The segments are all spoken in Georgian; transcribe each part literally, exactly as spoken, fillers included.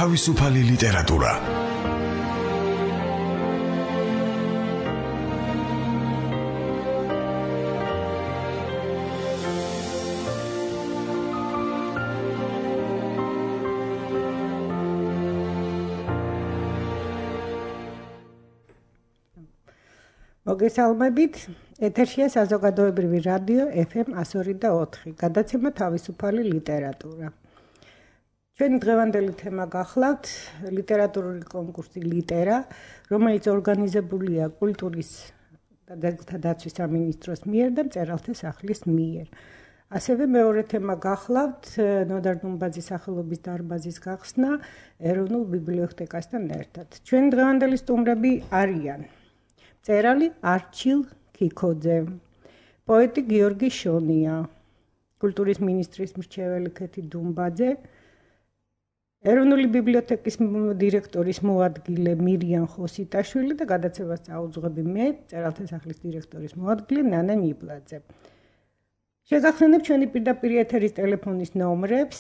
თავისუფალი ლიტერატურა. მოგესალმებით, ეთერშია საზოგადოებრივი რადიო ეფ ემ one oh two და ოთხი, გადაცემა თავისუფალი ლიტერატურა. ჩვენი დღევანდელი თემა გახლავთ ლიტერატურული კონკურსი ლიტერა, რომელიც ორგანიზებულია კულტურის და ძეგლთა დაცვის სამინისტროს მიერ და მწერალთა სახლის მიერ. ასევე მეორე თემა გახლავთ ნოდარ დუმბაძის სახელობის დარბაზის გახსნა ეროვნულ ბიბლიოთეკასთან ერთად. ჩვენი დღევანდელი სტუმრები არიან მწერალი არჩილ ქიქოძე, პოეტი გიორგი შონია, კულტურის მინისტრის მრჩეველი ქეთი დუმბაძე, ეროვნული ბიბლიოთეკის დირექტორის მოადგილე მირიან ხოსიტაშვილი და გადაცემას წაუძღვები მე, მწერალთა სახლის დირექტორის მოადგილე ნანა ნიბლაძე. შეგახსენებ ჩვენი პირდაპირ ეთერის ტელეფონის ნომრებს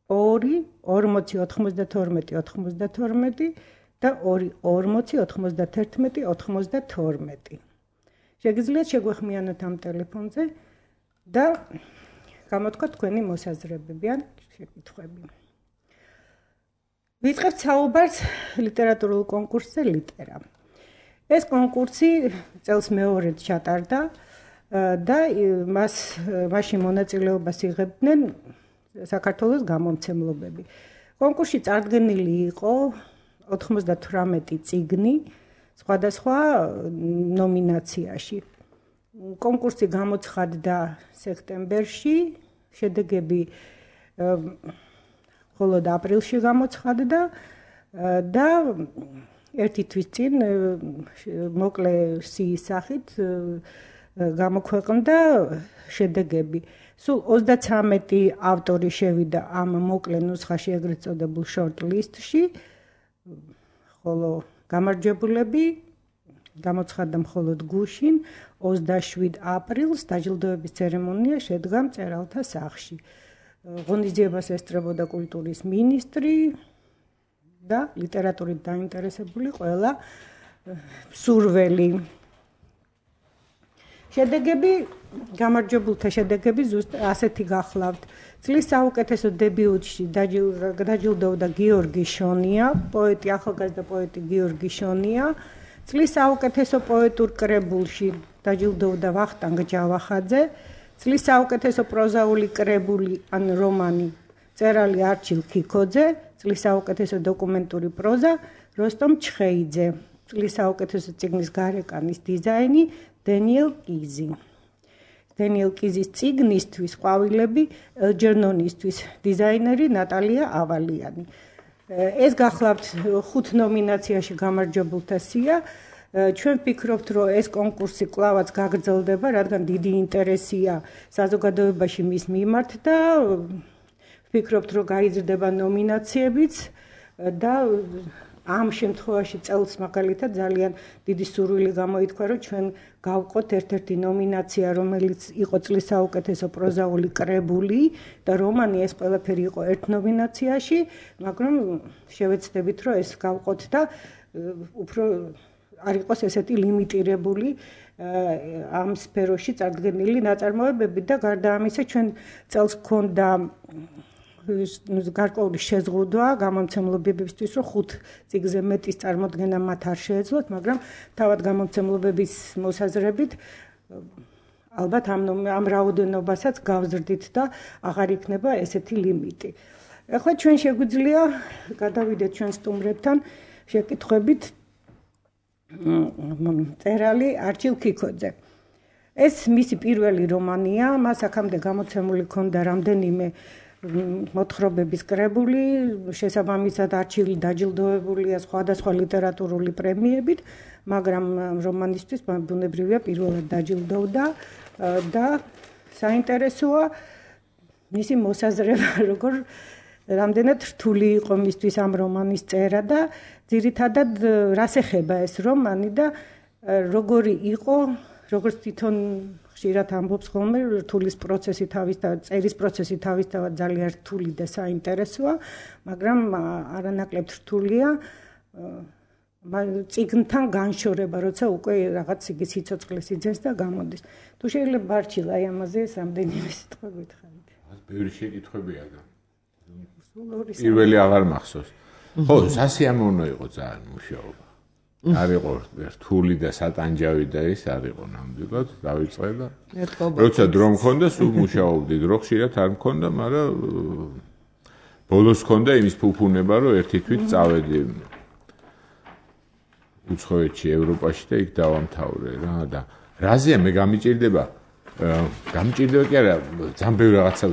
ორი ორმოცი ოთხმოცდათორმეტი ოთხმოცდათორმეტი და ორი ორმოცი ოთხმოცდათერთმეტი ოთხმოცდათორმეტი. შეგიძლიათ შეგვეხმიანოთ ამ ტელეფონზე და გამოთქვათ თქვენი მოსაზრებები ან შეკითხვები. ვიწყებთ საუბარს ლიტერატურულ კონკურსზე ლიტერა. ეს კონკურსი წელს მეორედ ჩატარდა და მას მასში მონაწილეობას იღებდნენ საქართველოს გამომცემლობები. კონკურსში წარდგენილი იყო ოთხმოცდათვრამეტი წიგნი სხვადასხვა ნომინაციაში. კონკურსი გამოცხადდა სექტემბერში, შედეგები მხოლოდ აპრილში გამოცხადდა და ერთი თვის წინ მოკლე სიის სახით გამოქვეყნდა შედეგები. სულ ოცდათვრამეტი ავტორი შევიდა ამ მოკლე ნუსხაში, ეგრეთ წოდებულ short list-ში, ხოლო გამარჯვებულები გამოცხადდა მხოლოდ გუშინ ოცდაშვიდ აპრილს დაჯილდოების ცერემონია შედგა მწერალთა სახლში. ღონისძიებას ესწრებოდა კულტურის მინისტრი და ლიტერატურით დაინტერესებული ყველა მსურველი. შედეგები, გამარჯვებულთა შედეგები ზუსტ ასეთი გახლავთ. წლის საუკეთესო დებიუტში დაჯილდოვდა გიორგი შონია, პოეტი, ახალგაზრდა პოეტი გიორგი შონია. წლის საუკეთესო პოეტურ კრებულში დაჯილდოვდა ვახტანგ ჯავახაძე. წლის საუკეთესო პროზაული კრებული ან რომანი მწერალი არჩილ ქიქოძე. წლის საუკეთესო დოკუმენტური პროზა როსტომ ჩხეიძე. წლის საუკეთესო წიგნის გარეკანის დიზაინი დენიელ კიზი. დენიელ კიზის წიგნისთვის ყვავილები ელჯერნონისთვის დიზაინერი ნატალია ავალიანი. ეს გახლავთ ხუთ ნომინაციაში გამარჯვებულთა სია. ჩვენ ვფიქრობთ, რომ ეს კონკურსი კვლავაც გაგრძელდება, რადგან დიდი ინტერესია საზოგადოებაში მის მიმართ და ვფიქრობთ, რომ გაიზრდება ნომინაციებიც და ამ შემთხვევაში წელს მაგალითად ძალიან დიდი სურვილი გამოითქვა, რომ ჩვენ გავყოთ ერთ-ერთი ნომინაცია, რომელიც იყო წლის საუკეთესო პროზაული კრებული და რომანი, ეს ყველაფერი იყო ერთ ნომინაციაში, მაგრამ შევეცდებით, რომ ეს გავყოთ და უფრო არ იყოს ესეთი ლიმიტირებული ამ სფეროში წარდგენილი ნაწარმოებები და გარდა ამისა ჩვენ წელს გქონდა გარკვეული შეზღუდვა გამომცემლობებისთვის, რომ ხუთ წიგნზე მეტის წარმოდგენა მათ არ შეეძლოთ, მაგრამ თავად გამომცემლობების მოსაზრებით ალბათ ამ ამ რაოდენობასაც გავზრდით და აღარ იქნება ესეთი ლიმიტი. ახლა ჩვენ შეგვიძლია გადავიდეთ ჩვენ სტუმრებთან შეკითხვებით მწერალი არჩილ ქიქოძე. ეს მისი პირველი რომანია, მას აქამდე გამოცემული ჰქონდა რამდენიმე მოთხრობების კრებული, შესაბამისად არჩილი დაჯილდოებულია სხვადასხვა ლიტერატურული პრემიებით, მაგრამ რომანისთვის ბუნებრივია პირველად დაჯილდოვდა და საინტერესოა მისი მოსაზრება, როგორ რამდენად რთული იყო მისთვის ამ რომანის წერა და ძირითადად რას ეხება ეს რომანი და როგორი იყო, როგორც თვითონ ხშირად ამბობს ხოლმე რთულის პროცესი თავის და წერის პროცესი თავისთავად ძალიან რთული და საინტერესოა, მაგრამ არანაკლებ რთულია წიგნთან განშორება, როცა უკვე რაღაც იგი სიცოცხლე სიძენს და გამოდის. თუ შეიძლება ბარჩილ აი ამაზე რამდენიმე სიტყვა გითხარით. ბევრი შეკითხვებია და პირველი აღარ მახსოვს. ხო, სასიამოვნო იყო ძალიან მუშაობა. არ იყო რთული და სატანჯავი და ის არ იყო ნამდვილად, დავიწყე და როცა დრო მქონდა, სულ მუშაობდი, დრო ხშირად არ მქონდა, მაგრამ ბოლოს მქონდა იმის ფუფუნება, რომ ერთი თვით წავედი უცხოეთში, ევროპაში და იქ დავამთავრე რა და რაზეა მე გამიჭირდება გამიჭირდება კი არა, ძალიან ბევრი რაღაცა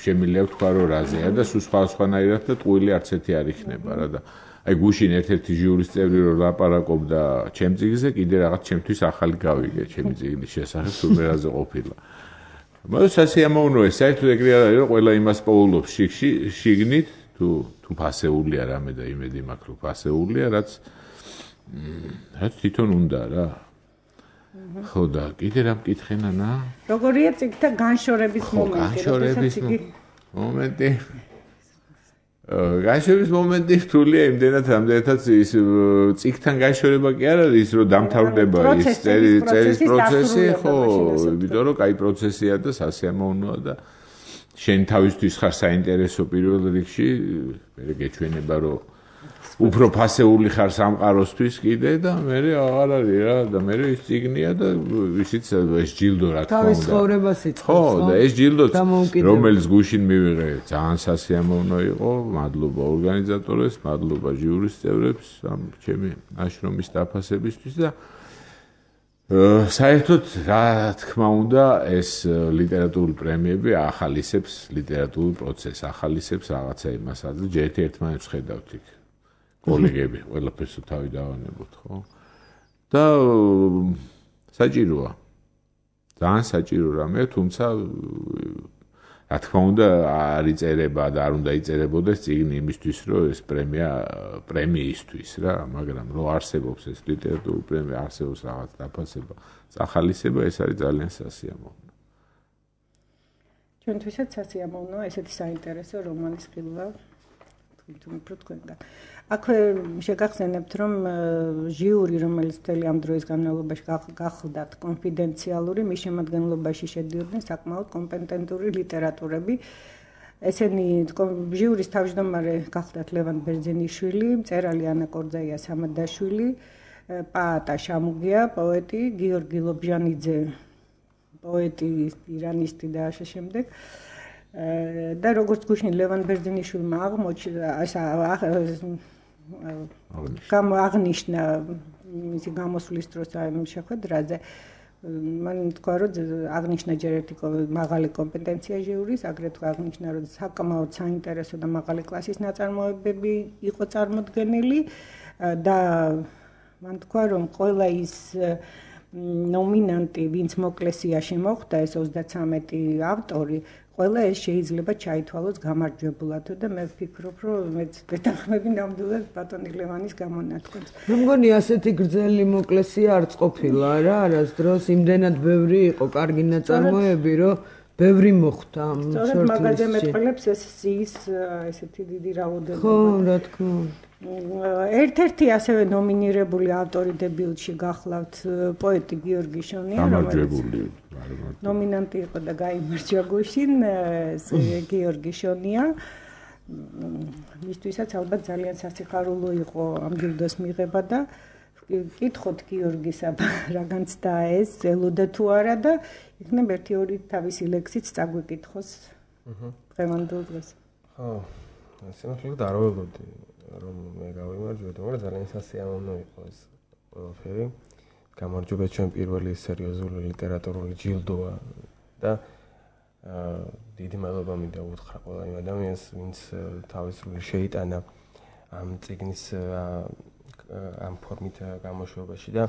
შემიძლია ვთქვა, რომ რაზეა და სულ სხვადასხვანაირად და ტყუილი არც ერთი არ იქნება რა და აი გუშინ ერთ-ერთი ჟიურის წევრი რომ ლაპარაკობდა ჩემ წიგნზე, კიდე რაღაც ჩემთვის ახალი გავიგე ჩემი წიგნის შესახებ, თუ მე რაზე ყოფილა. მაგრამ სასიამოვნოა, საერთოდ ეგრე არ არის, რომ ყველა იმას პოულობს შიგში, შიგნით, თუ თუ ფასეულია რამე და იმედი მაქვს, რომ ფასეულია, რაც რაც თვითონ უნდა რა. ხო და კიდე რა მკითხე ნანა? როგორია წიგნთა განშორების მომენტი? განშორების მომენტი. განშორების მომენტი რთულია იმდენად, რამდენადაც ის წიგნთან განშორება კი არ არის, რომ დამთავრდება ის წერის პროცესი, ხო, იმიტომ რომ კაი პროცესია და სასიამოვნოა და შენ თავისთვის ხარ საინტერესო პირველ რიგში, მე გეჩვენება რომ უფრო ფასეული ხარ სამყაროსთვის კიდე და მე აღარ არის რა და მე ის წიგნია და ისიც ეს ჯილდო რა თქმა უნდა. თავის ცხოვრებას იწყებს. ხო და ეს ჯილდო რომელიც გუშინ მივიღე ძალიან სასიამოვნო იყო. მადლობა ორგანიზატორებს, მადლობა ჟიურის წევრებს, ამ ჩემი აშრომის დაფასებისთვის და საერთოდ რა თქმა უნდა ეს ლიტერატურული პრემიები ახალისებს ლიტერატურულ პროცესს, ახალისებს რაღაცა იმასაც და ჯერ ერთმანეთს ხედავთ იქ. კოლეგები, ყველაფერს თავი დავანებოთ, ხო? და საჭიროა. ძალიან საჭირო რამეა, თუმცა რა თქმა უნდა არ იწერება და არ უნდა იწერებოდეს წიგნი იმისთვის, რომ ეს პრემია პრემიისთვის რა, მაგრამ რო არსებობს ეს ლიტერატურული პრემია, არსებობს რაღაც დაფასება, სახალისება, ეს არის ძალიან სასიამოვნო. ჩვენთვისაც სასიამოვნოა ესეთი საინტერესო რომანის ხილვა თვითონ უფრო თქვენგან. აქვე შეგახსენებთ, რომ ჟიური, რომელიც მთელი ამ დროის განმავლობაში გახლდათ კონფიდენციალური, მის შემადგენლობაში შედიოდნენ საკმაოდ კომპეტენტური ლიტერატორები. ესენი ჟიურის თავმჯდომარე გახლდათ ლევან ბერძენიშვილი, მწერალი ანა კორძაია სამადაშვილი, პაატა შამუგია, პოეტი გიორგი ლობჟანიძე, პოეტი, პირანისტი და ასე შემდეგ. და როგორც გუშინ ლევან ბერძენიშვილმა აღმოჩნდა, აღნიშნა მისი გამოსვლის დროს ამ შეხვედრაზე, მან თქვა, რომ აღნიშნა ჯერ ერთი მაღალი კომპეტენცია ჟიურის, აგრეთვე აღნიშნა, რომ საკმაოდ საინტერესო და მაღალი კლასის ნაწარმოებები იყო წარმოდგენილი და მან თქვა, რომ ყველა ის ნომინანტი, ვინც მოკლესიაში მოხვდა, ეს ოცდათვრამეტი ავტორი, ყველა ეს შეიძლება ჩაითვალოს გამარჯვებულად და მე ვფიქრობ, რომ მეც დეთანხმები ნამდვილად ბატონი ლევანის გამონათქვამს. მე მგონი ასეთი გრძელი მოკლესია არც ყოფილა რა, არასდროს იმდენად ბევრი იყო კარგი ნაწარმოები, რომ ბევრი მოხვდა ამ სორტში. სწორედ მაგაზე მეტყველებს ეს ის ესეთი დიდი რაოდენობა. ხო, რა თქმა უნდა. ერთ-ერთი ასევე ნომინირებული ავტორი დებიუტში გახლავთ პოეტი გიორგი შონია, რომელიც ნომინანტი იყო და გაიმარჯვა გუშინ გიორგი შონია. მისთვისაც ალბათ ძალიან სასიხარულო იყო ამ ჯილდოს მიღება და კითხოთ გიორგისა რა განცდა ეს, ელოდა თუ არა და იქნებ ერთი ორი თავისი ლექსიც წაგვიკითხოს დღევანდელ დღეს. ხო, სიმართლე და არ ველოდი რომ მე გავიმარჯვებდი, მაგრამ ძალიან სასიამოვნო იყო ეს ყველაფერი. გამარჯვება ჩვენ პირველი სერიოზული ლიტერატურული ჯილდოა და დიდი მადლობა მინდა უთხრა ყველა იმ ადამიანს, ვინც თავის სრული შეიტანა ამ წიგნის ამ ფორმით გამოშვებაში და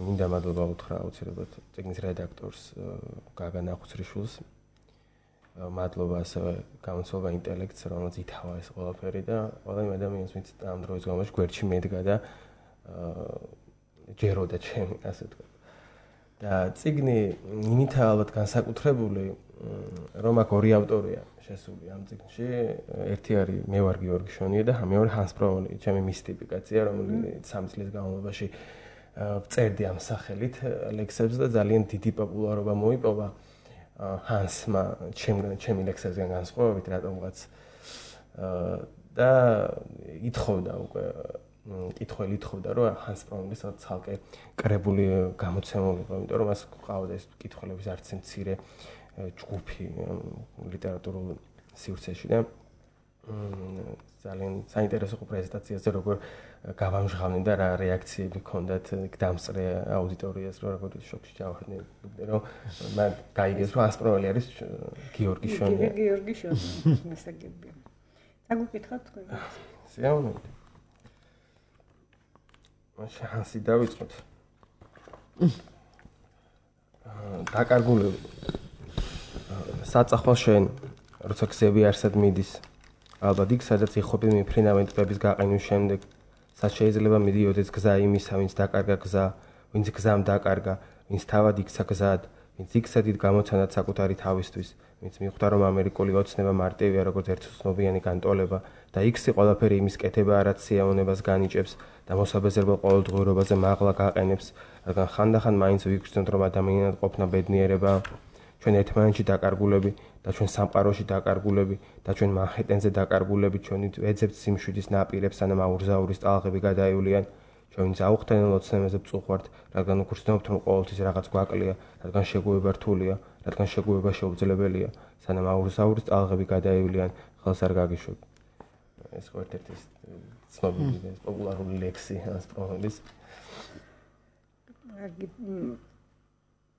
მინდა მადლობა უთხრა აუცილებლად წიგნის რედაქტორს გაგა ნახუცრიშვილს. მადლობა ასევე გამოცდილება ინტელექტს, რომელიც ითავა ეს ყველაფერი და ყველა იმ ადამიანს, ვინც ამ დროის განმავლობაში გვერდში მედგა და ჯეროდა ჩემი, ასე თქვა. და წიგნი იმითაა ალბათ განსაკუთრებული, რომ აქ ორი ავტორია შესული ამ წიგნში. ერთი არის მე ვარ გიორგი შონია და მეორე ჰანს პროვოლი, ჩემი მისტიფიკაცია, რომელიც სამი წლის განმავლობაში წერდი ამ სახელით ლექსებს და ძალიან დიდი პოპულარობა მოიპოვა ჰანსმა ჩემი ლექსებისგან განსხვავებით რატომღაც და ითხოვდა უკვე კითხველი ითხოვდა რომ ჰანს პროვოლის ცალკე კრებული გამოცემულიყო, იმიტომ რომ მას ყავდა ეს კითხველების არც მცირე ჯგუფი ლიტერატურულ სივრცეში და ძალიან საინტერესო პრეზენტაციაზე როგორ გავამჟღავნე და რა რეაქციები ჰქონდათ დამსწრე აუდიტორიას, როგორ შოქში ჩავარდნენ, რომ მან გაიგეს რომ ჰანს პროველი არის გიორგი შონია. გიორგი შონია მისაგებია. აგუკითხავთ თქვენ? სიამოვნებით. მაშინ ჰანსი დავიწყოთ. დაკარგულები. საწახვალ შენ, როცა გზები არსად მიდის, ალბათ იქ, სადაც იხობი მიფრინავენ ტბების გაყინვის შემდეგ, სად შეიძლება მიდიოდეს გზა იმისა, ვინც დაკარგა გზა, ვინც გზამ დაკარგა, ვინც თავად იქცა გზად, ვინც იქცადით გამოცანად საკუთარი თავისთვის, ვინც მიხვდა რომ ამერიკული ოცნება მარტივია როგორც ერთწლოვიანი განტოლება და იქსი ყველაფერი იმის კეთება არაც სიამოვნებას განიჭებს და მოსაბეზრებელ ყოველდღიურობაზე მაღლა გაყენებს, რადგან ხანდახან მაინც ვიგრძნობთ რომ ადამიანად ყოფნა ბედნიერება, ჩვენ ერთმანეთში დაკარგულები და ჩვენ სამყაროში დაკარგულები და ჩვენ მანჰეტენზე დაკარგულები, ჩვენი ვეძებთ სიმშვიდის ნაპირებს, სანამ აურზაურის ტალღები გადაივლიან, ჩვენ წაუხდენილ ოცნებაზე ვწუხვართ, რადგან ვგრძნობთ რომ ყოველთვის რაღაც გვაკლია, რადგან შეგუება რთულია, რადგან შეგუება შეუძლებელია, სანამ აურზაურის ტალღები გადაივლიან, ხელს არ გაგიშვებ. ეს ხო ერთ-ერთი ცნობილი და პოპულარული ლექსი ჰანს პროვოლის.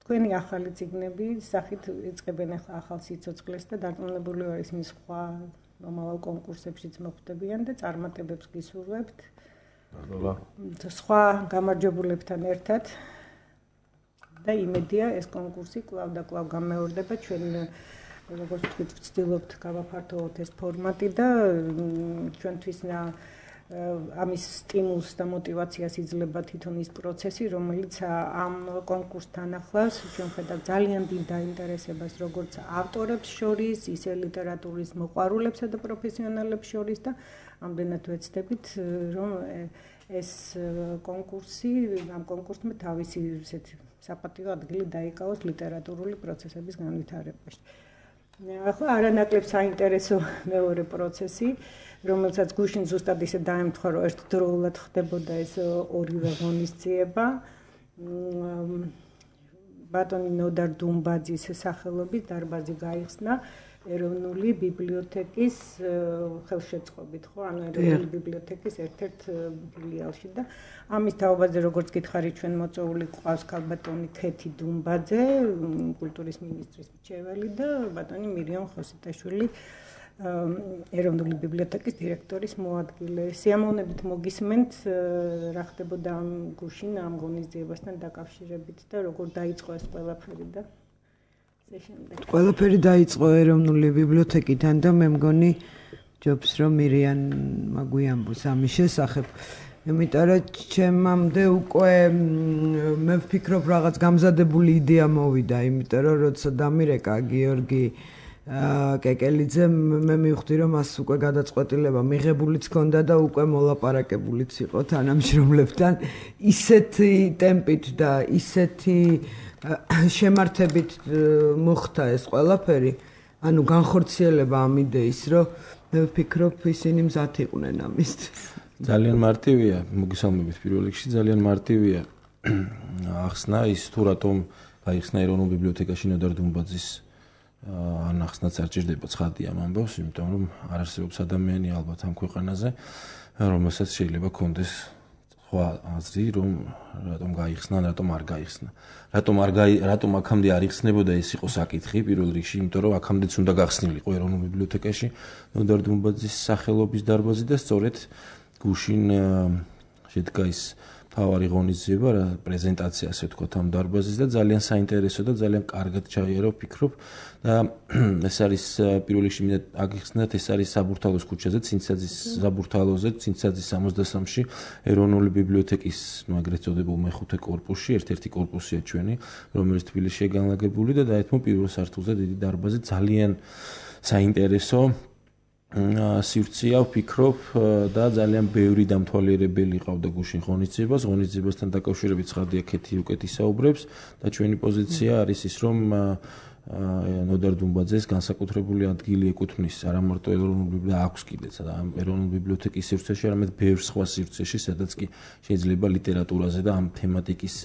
თქვენი ახალი წიგნები სახით იწყებენ ახლა ახალ სიცოცხლეს და დარწმუნებული ვარ ის მის სხვა მომავალ კონკურსებშიც მოხვდებიან და წარმატებებს გისურვებთ. სხვა გამარჯვებულებთან ერთად და იმედია ეს კონკურსი კვლავ და კვლავ გამეორდება, ჩვენ როგორც ვთქვით, ვცდილობთ გავაფართოვოთ ეს ფორმატი და ჩვენთვის ამის სტიმულს და мотиваციას იძლევა თვითონ ის პროცესი, რომელიც ამ კონკურსთან ახლავს ჩვენ ხედავთ ძალიან დიდ დაინტერესებას როგორც ავტორებს შორის, ისე ლიტერატურის მოყვარულებსა და პროფესიონალებს შორის და ამდენად ვეცდებით, რომ ეს კონკურსი, ამ კონკურსმა თავისი ესეთი საპატიო ადგილი დაიკავოს ლიტერატურული პროცესების განვითარებაში. ახლა არანაკლებ საინტერესო მეორე პროცესი, რომელსაც გუშინ ზუსტად ისე დაემთხვა, რომ ერთდროულად ხდებოდა ეს ორივე ღონისძიება. ბატონი ნოდარ დუმბაძის სახელობის დარბაზი გაიხსნა ეროვნული ბიბლიოთეკის ხელშეწყობით, ხო, ანუ ეროვნული ბიბლიოთეკის ერთ-ერთ ფილიალში და ამის თაობაზე როგორც გითხარით, ჩვენ მოწვეული ყავს ქალბატონი ქეთი დუმბაძე, კულტურის მინისტრის მრჩეველი და ბატონი მირიამ ხოსიტაშვილი, ეროვნული ბიბლიოთეკის დირექტორის მოადგილე. სიამოვნებით მოგისმენთ, რა ხდებოდა ამ გუშინ ამ ღონისძიებასთან დაკავშირებით და როგორ დაიწყო ეს ყველაფერი და ყველაფერი დაიწყო ეროვნული ბიბლიოთეკიდან და მე მგონი ჯობს რომ მირიანმა გვიამბოს ამის შესახებ. იმიტომ რომ ჩემამდე უკვე მე ვფიქრობ რაღაც გამზადებული იდეა მოვიდა, იმიტომ რომ როცა დამირეკა გიორგი კეკელიძე მე მივხვდი რომ მას უკვე გადაწყვეტილება მიღებულიც ჰქონდა და უკვე მოლაპარაკებულიც იყო თანამშრომლებთან ისეთი ტემპით და ისეთი შემართებით მოხდა ეს ყველაფერი, ანუ განხორციელება ამ იდეის, რომ მე ვფიქრობ ისინი მზად იყვნენ ამისთვის. ძალიან მარტივია, მოგესალმებით პირველ რიგში, ძალიან მარტივია ახსნა ის თუ რატომ გაიხსნა ეროვნულ ბიბლიოთეკაში ნოდარ დუმბაძის ან ახსნაც არ ჭირდება ცხადი ამ ამბავს, იმიტომ რომ არ არსებობს ადამიანი ალბათ ამ ქვეყანაზე, რომელსაც შეიძლება კონდეს სხვა აზრი, რომ რატომ გაიხსნა, რატომ არ გაიხსნა. რატომ არ გაი, რატომ აქამდე არ იხსნებოდა ეს იყო საკითხი პირველ რიგში, იმიტომ რომ აქამდეც უნდა გახსნილიყო ეროვნულ ბიბლიოთეკაში ნოდარ დუმბაძის სახელობის დარბაზი და სწორედ გუშინ შედგა ის თავარი ღონისძიება რა პრეზენტაცია ასე ვთქვათ ამ დარბაზის და ძალიან საინტერესო და ძალიან კარგად ჩაიარო ვფიქრობ და ეს არის პირველ რიგში მინდა აგიხსნათ ეს არის საბურთალოს ქუჩაზე ცინცაძის საბურთალოზე ცინცაძის სამოცდასამში ეროვნული ბიბლიოთეკის აგრეთ წოდებულ მეხუთე კორპუსში ერთ-ერთი კორპუსია ჩვენი რომელიც თბილისშია განლაგებული და დაეთმო პირველ სართულზე დიდი დარბაზი ძალიან საინტერესო სივრცეა ვფიქრობ და ძალიან ბევრი დამთვალიერებელი ყავდა გუშინ ღონისძიებას ღონისძიებასთან დაკავშირებით ცხადია ქეთი უკეთ ისაუბრებს და ჩვენი პოზიცია არის ის რომ ნოდარ დუმბაძეს განსაკუთრებული ადგილი ეკუთვნის არა მარტო ეროვნულ ბიბლიოთეკას აქვს კიდეც და ამ ეროვნულ ბიბლიოთეკის სივრცეში არამედ ბევრ სხვა სივრცეში სადაც კი შეიძლება ლიტერატურაზე და ამ თემატიკის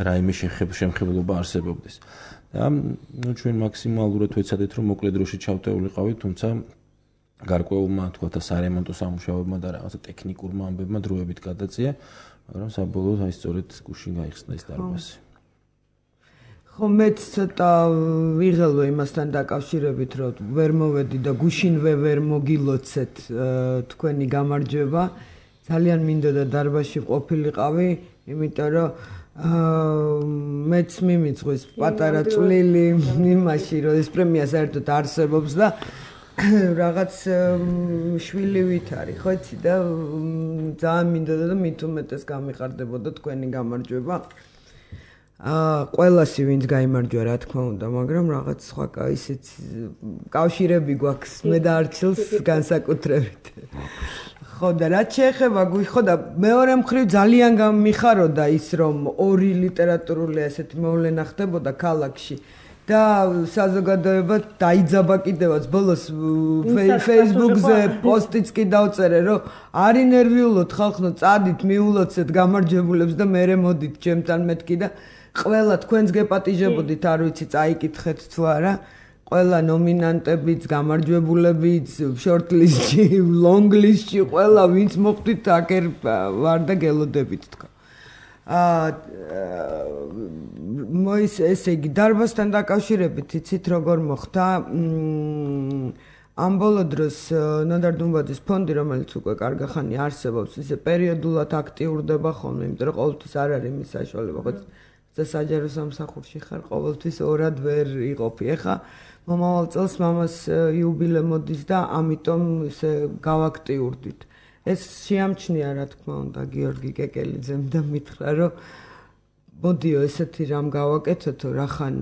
რაიმე შემხებლობა არსებობდეს და ნუ ჩვენ მაქსიმალურად ვეცადეთ რომ მოკლედ დროში ჩავტეულიყავით თუმცა გარკვეულმა თქვა და სარემონტო სამუშაოებმა და რაღაცა ტექნიკურმა ამბებმა დროებით გადაწია, მაგრამ საბოლოოდ აი სწორედ გუშინ გაიხსნა ეს დარბაზი. ხო მეც ცოტა ვიღელვე იმასთან დაკავშირებით, რომ ვერ მოვედი და გუშინვე ვერ მოგილოცეთ თქვენი გამარჯვება. ძალიან მინდოდა დარბაზში ყოფილიყავი, იმიტომ რომ მეც მიმიწყვის პატარა წვლილი იმაში, რომ ეს პრემია საერთოდ არსებობს და რაღაც შვილივით არის, ხო იცი და ძალიან მინდოდა და მით უმეტეს გამიხარდებოდა თქვენი გამარჯვება. აა ყველასი ვინც გაიმარჯვა რა თქმა უნდა, მაგრამ რაღაც სხვა ისეთ კავშირები გვაქვს მე და არჩილს განსაკუთრებით. ხო და რაც შეეხება ხო და მეორე მხრივ ძალიან გამიხაროდა ის რომ ორი ლიტერატურული ასეთი მოვლენა ხდებოდა ქალაქში. და საზოგადოება დაიძაბა კიდევაც ბოლოს Facebook-ზე პოსტიც კი დავწერე რომ არი ნერვიულოთ ხალხო წადით მიულოცეთ გამარჯვებულებს და მერე მოდით ჩემთან მეთქი და ყველა თქვენს გეპატიჟებოდით არ ვიცი წაიკითხეთ თუ არა ყველა ნომინანტებიც გამარჯვებულებიც შორტლისტში ლონგლისტში ყველა ვინც მოხვდით აკერ ვარ და გელოდებით თქვა აა მოის ესე იგი დარბაზთან დაკავშირებით იცით როგორ მოხდა ამ ბოლო დროს ნოდარ დუმბაძის ფონდი რომელიც უკვე კარგი ხანი არსებობს ისე პერიოდულად აქტიურდება ხოლმე იმიტომ რომ ყოველთვის არ არის მის საშუალება ხო და საჯარო სამსახურში ხარ ყოველთვის ორად ვერ იყოფი ეხა მომავალ წელს მამას იუბილე მოდის და ამიტომ ისე გავაქტიურდით ეს შეამჩნია რა თქმა უნდა გიორგი კეკელიძემ და მითხრა რომ მოდიო ესეთი რამ გავაკეთეთო რახან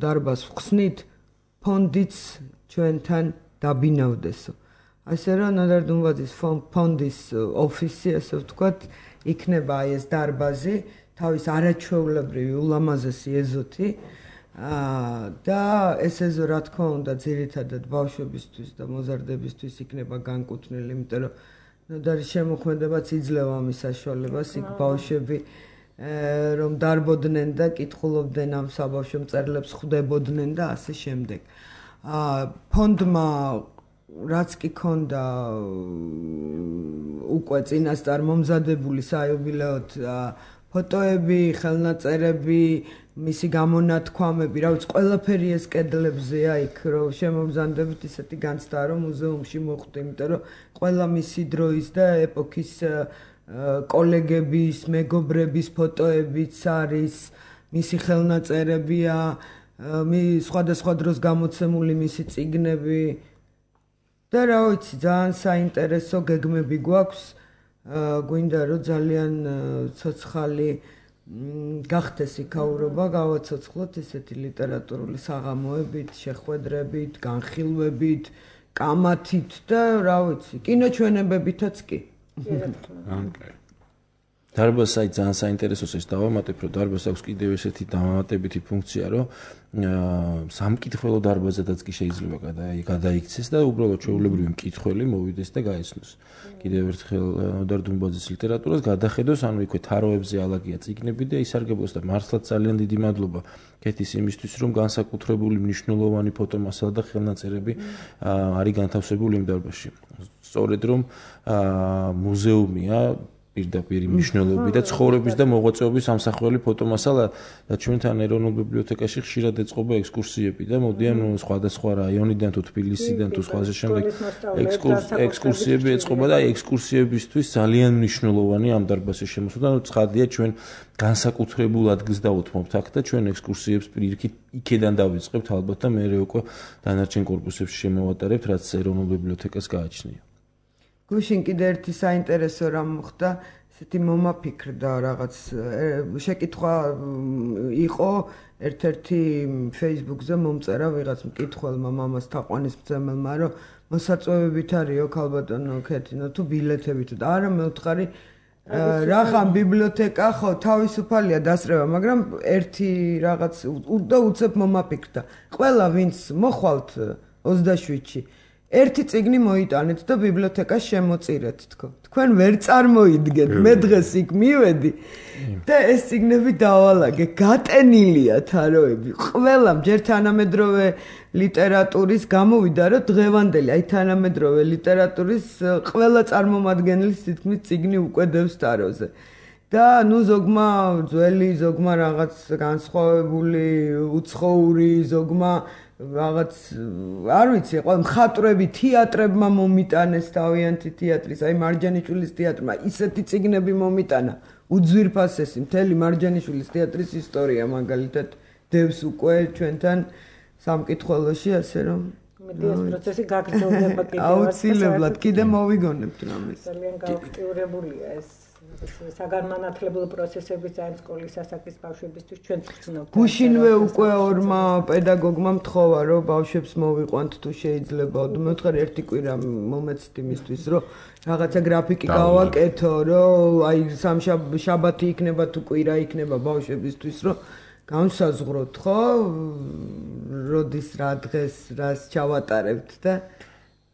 დარბაზს ვხსნით ფონდიც ჩვენთან დაბინავდესო ასე რომ ნოდარ დუმბაძის ფონდის ოფისი ასე ვთქვათ იქნება აი ეს დარბაზი თავის არაჩვეულებრივი ულამაზესი ეზოთი და ეს ეზო რა თქმა უნდა ძირითადად ბავშვებისთვის და მოზარდებისთვის იქნება განკუთვნილი იმიტომ რომ ნოდარის შემოქმედებაც იძლევა ამის საშუალებას იქ ბავშვები რომ დარბოდნენ და კითხულობდნენ ამ საბავშვო მწერლებს ხვდებოდნენ და ასე შემდეგ ფონდმა რაც კი ქონდა უკვე წინასწარ მომზადებული საიუბილეოდ ფოტოები, ხელნაწერები, მისი გამონათქვამები, რა ვიცი, ყველაფერი ეს კედლებზეა იქ, რომ შემომზადებით ისეთი განცდაა, რომ მუზეუმში მოხვდი, იმიტომ რომ ყველა მისი დროის და ეპოქის კოლეგების, მეგობრების ფოტოებიც არის, მისი ხელნაწერებია, სხვადასხვა დროს გამოცემული მისი წიგნები და რა ვიცი, ძალიან საინტერესო გეგმები გვაქვს. გვინდა რომ ძალიან ცოცხალი გახდეს იქაურობა, გავაცოცხლოთ ესეთი ლიტერატურული საღამოებით, შეხვედრებით, განხილვებით, კამათით და რა ვიცი, კინოჩვენებებითაც კი. დარბაზს აი ძალიან საინტერესოს ეს დავამატებ, რომ დარბაზს აქვს კიდევ ესეთი დამატებითი ფუნქცია, რომ სამკითხველო დარბაზადაც კი შეიძლება გადაიქცეს და უბრალოდ ჩვეულებრივი მკითხველი მოვიდეს და გაეცნოს. კიდევ ერთხელ ნოდარ დუმბაძის ლიტერატურას გადახედოს, ანუ იქვე თაროებზე ალაგია წიგნები და ისარგებლოს და მართლაც ძალიან დიდი მადლობა კეთის იმისთვის, რომ განსაკუთრებული მნიშვნელოვანი ფოტომასალა და ხელნაწერები არის განთავსებული იმ დარბაზში. სწორედ რომ მუზეუმია პირდაპირ მნიშვნელობი და ცხოვრების და მოღვაწეობის ამსახველი ფოტომასალა და ჩვენთან ეროვნულ ბიბლიოთეკაში ხშირად ეწყობა ექსკურსიები და მოდიან სხვადასხვა რაიონიდან თუ თბილისიდან თუ სხვაზე შემდეგ ექსკურსიები ეწყობა და ექსკურსიებისთვის ძალიან მნიშვნელოვანი ამ დარბაზის შემოსვლა და ცხადია ჩვენ განსაკუთრებულ ადგილს დავუთმობთ აქ და ჩვენ ექსკურსიებს პირიქით იქედან დავიწყებთ ალბათ და მე უკვე დანარჩენ კორპუსებში შემოვატარებთ რაც ეროვნულ ბიბლიოთეკას გააჩნია. გუშინ კიდე ერთი საინტერესო რამ მოხდა, ესეთი მომაფიქრდა რაღაც შეკითხვა იყო ერთ-ერთი Facebook-ზე მომწერა ვიღაც მკითხველმა მამას თაყვანისმცემელმა, რომ მოსაწვევებით არისო ქალბატონო ქეთინო თუ ბილეთებით და არა მე ვთხარი რახან ბიბლიოთეკა ხო თავისუფალია დასწრება, მაგრამ ერთი რაღაც და უცებ მომაფიქრდა. ყველა ვინც მოხვალთ ოცდაშვიდში ერთი წიგნი მოიტანეთ და ბიბლიოთეკას შემოწირეთ თქო. თქვენ ვერ წარმოიდგენთ, მე დღეს იქ მივედი და ეს წიგნები დავალაგე, გატენილია თაროები. ყველამ ჯერ თანამედროვე ლიტერატურის გამოვიდა, რომ დღევანდელი, აი თანამედროვე ლიტერატურის ყველა წარმომადგენლის თითქმის წიგნი უკვე დევს თაროზე. და ნუ ზოგმა ძველი, ზოგმა რაღაც განსხვავებული, უცხოური, ზოგმა რაღაც არ ვიცი, ყველა მხატვრები, თეატრებმა მომიტანეს თავიანთი თეატრის, აი მარჯანიშვილის თეატრმა ისეთი წიგნები მომიტანა, უძვირფასესი მთელი მარჯანიშვილის თეატრის ისტორია მაგალითად დევს უკვე ჩვენთან სამკითხველოში, ასე რომ მედი ეს პროცესი გაგრძელდება კიდევ. აუცილებლად კიდე მოვიგონებთ რამეს. ძალიან გააქტიურებულია ეს საგანმანათლებლო პროცესები ძალიან სკოლის ასაკის ბავშვებისთვის ჩვენ ვწნობთ. გუშინვე უკვე ორმა პედაგოგმა მთხოვა, რომ ბავშვებს მოვიყვანთ თუ შეიძლება. მე ვთხარ ერთი კვირა მომეცით იმისთვის, რომ რაღაცა გრაფიკი გავაკეთო, რომ აი სამშაბათი იქნება თუ კვირა იქნება ბავშვებისთვის, რომ განსაზღვროთ, ხო? როდის რა დღეს რას ჩავატარებთ და